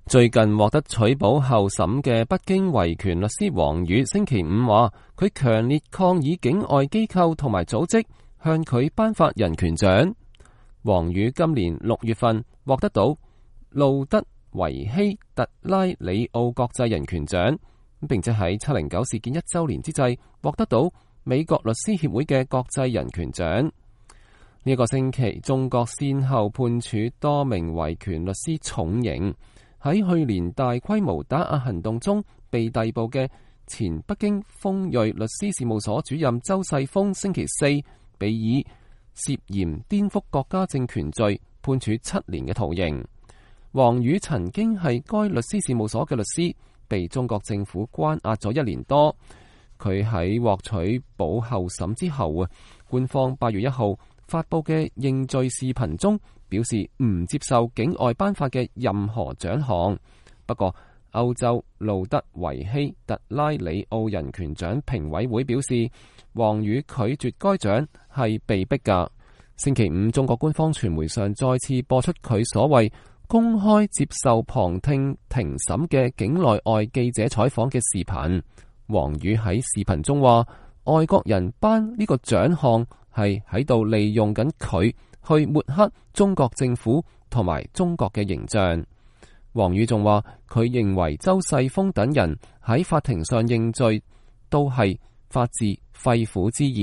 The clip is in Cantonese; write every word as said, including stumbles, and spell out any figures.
最近獲得取保候審嘅北京維權律師王宇星期五話，佢強烈抗議境外機構同埋組織向佢頒發人權獎。王宇今年六月份獲得到路德維希特拉里奧國際人權獎，並且喺七零九事件一周年之際獲得到美國律師協會嘅國際人權獎。呢、這、一個星期，中國先後判處多名維權律師重刑。喺去年大規模打壓行動中被逮捕嘅前北京鋒銳律師事務所主任周世峰，星期四被以涉嫌顛覆國家政權罪判處七年嘅徒刑。王宇曾經係該律師事務所嘅律師，被中國政府關押咗一年多。佢喺獲取保候審之後啊，官方八月一號發佈嘅認罪視頻中表示唔接受境外頒發嘅任何獎項。不過，歐洲路德維希特拉里奧人權獎評委會表示，王宇拒絕該獎係被逼㗎。星期五，中國官方傳媒上再次播出佢所謂公開接受旁聽庭審嘅境內外記者採訪嘅視頻。王宇喺視頻中話，外國人頒呢個獎項係喺度利用緊佢去抹黑中國政府同埋中國嘅形象。王宇仲話，佢認為周世峰等人喺法庭上認罪都係發自肺腑之言。